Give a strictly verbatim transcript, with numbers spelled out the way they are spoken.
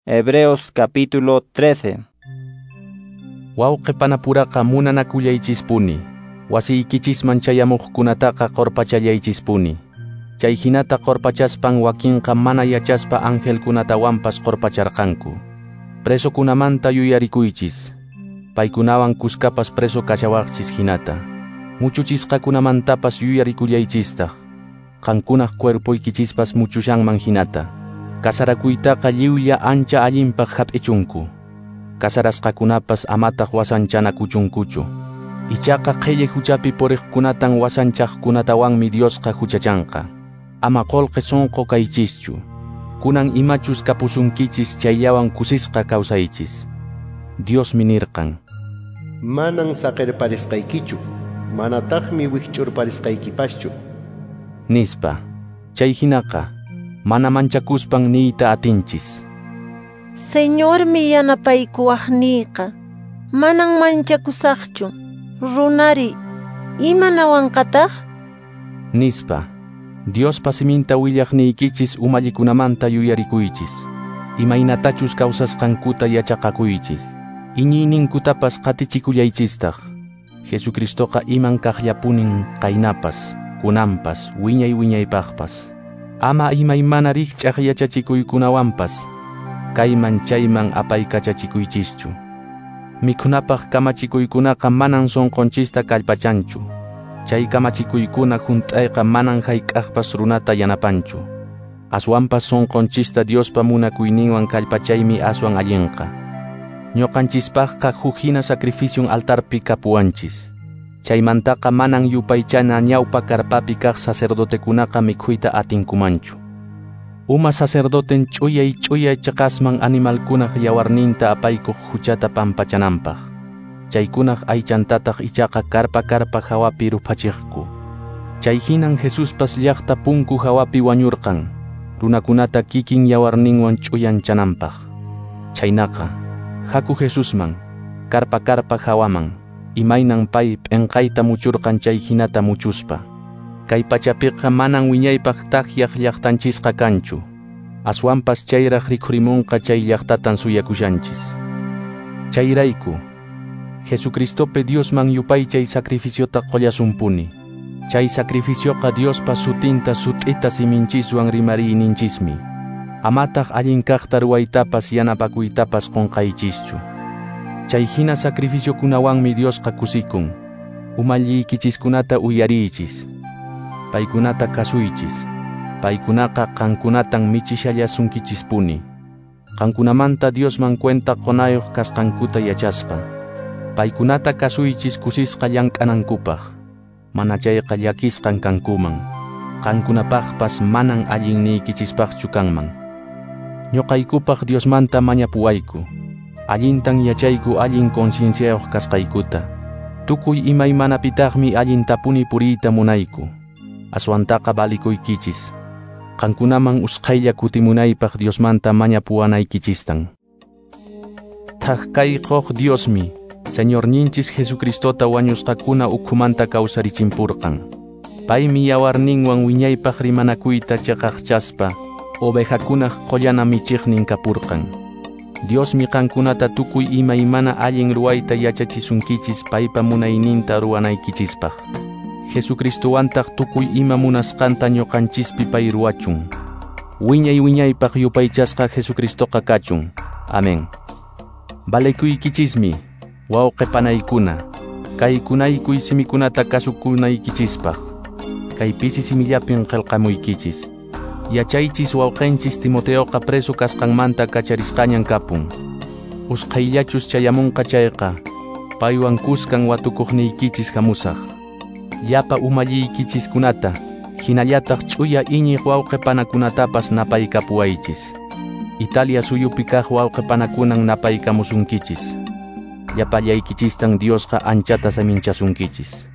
Hebreos capítulo trece. Wawqi panapuraqa munanakullaychispuni, wasiykichisman chayamuqkunataqa qorpachallaychispuni. Chay hinata qorpachaspan wakinqa mana yachaspa angelkunatawanpas qorpacharqanku. Presokunamanta yuyarikuychis, paykunawan kuskapas preso kashawaqchis hinata. Muchuchisqakunamantapas yuyarikullaychistaq, qankunaq cuerpoykichispas muchushanman hinata. Kasarakuytaqa lliwlla ancha allinpaq hap'ichunku. Kasarasqakunapas amataq wasanchanakuchunkuchu. Ichaqa qhilli huchapi puriqkunatan wasanchaqkunatawanmi Diosqa huchachanqa. Ama qolqe sonqo kaychischu. Kunan imachus kapusunkichis chayllawan kusisqa kawsaychis. Diosmi nirqan: Manan saqerparisqaykichu, manataqmi wikch'urparisqaykipaschu, nispa. Chay hinaqa mana manchakuspan niyta atinchis: Señormi yanapaykuwaqniyqa, manan manchakusaqchu. Runari, imanawanqataq? Nispa. Diospa siminta willaqniykichis umallikunamanta yuyarikuychis. Imaynatachus kawsasqankuta yachaqakuychis. Iñiyninkutapas qatichikullaychistaq. Jesucristoqa iman kaqllapunin qaynapas, kunanpas, wiñay wiñaypaqpas. Ama imaymana rikch'aq yachachikuykunawanpas kayman chayman apaykachachikuychischu. Mikhunapaq kamachikuykunaqa manan sonqonchista kallpachanchu. Chay kamachikuykuna hunt'ayqa manan hayk'aqpas runata yanapanchu. Aswanpas sonqonchista Diospa munakuyninwan kallpachaymi aswan allinqa. Ñuqanchispaqqa huk hina sacrificion altarpi kapuwanchis. Chaymantaqa manan yupaychana ñawpa karpapi kaq sacerdotekunaqa mikhuyta atinkumanchu. Uma sacerdoten ch'uyay ch'uyay chaqasman animalkunaq yawarninta apaykuq huchata pampachananpaq. Chaykunaq aychantataq ichaqa karpa karpa hawapi ruphachiqku. Chay hinan Jesuspas llaqta punku hawapi wañurqan, runakunata kikin yawarninwan ch'uyanchananpaq. Chaynaqa, haku Jesusman, karpa karpa hawaman, imaynan pay p'enqayta muchurqan chay hinata muchuspa. Kay pachapiqa manan wiñaypaq takyaq llaqtanchisqa kanchu. Aswanpas chayraq rikhurimunqa chay llaqtatan suyakushanchis. Chayrayku, Jesucristopi Diosman yupaychay sacrificiota qollasumpuni. Chay sacrificioqa Diospa sutinta sut'ita siminchiswan rimariyninchismi. Amataq allin kaqta ruwaytapas yanapakuytapas qonqaychischu. Chay hina sacrificiokunawanmi Diosqa kusikun. Umalliykichiskunata uyariychis. Paykunata kasuychis. Paykunaqa qankunatan michishallasunkichispuni. Qankunamanta Diosman cuenta qonayuq kasqankuta yachaspa. Paykunata kasuychis kusisqa llank'anankupaq. Mana chayqa llakisqan kankuman. Qankunapaqpas manan allinniykichispaqchu kanman. Ñuqaykupaq Diosmanta mañapuwayku. Allintan yachayku allin concienciayuq kasqaykuta. Tukuy imaymanapitaqmi allintapuni puriyta munayku. Aswantaqa valikuykichis. Qankunaman usqhaylla kutimunaypaq Diosmanta mañapuwanaykichistan. Thak kay quq Diosmi, Señorninchis Jesucristota wañusqakuna ukhumanta kawsarichimpurqan. Paymi yawarninwan wiñaypaq rimanakuyta chaqaqchaspa, ovejakunaq qollana michiqnin kapurqan. Diosmi qankunata tukuy imaymana allin ruwayta yachachisunkichis paypa munayninta ruwanaykichispaq. Jesucristowantaq tukuy ima munasqanta ñuqanchispi pay ruwachun. Wiñay wiñaypaq yupaychasqa Jesucristoqa kachun. Amén. Valekuykichismi, wawqi panaykuna, kaykunaykuy simikunata kasukunaykichispaq. Kay pisi simillapin qillqamuykichis. Yachaychis wawqinchis Timoteoqa preso kasqanmanta kacharisqañan kapun. Usqhayllachus chayamunqa chayqa, paywan kuskan watukuqniykichis hamusaq. Llapa umalliykichiskunata, hinallataq ch'uya iñiq wawqi panakunatapas napaykapuwaychis. Italia suyupi kaq wawqi panakunan napaykamusunkichis. Llapallaykichistan Diosqa anchata saminchasunkichis.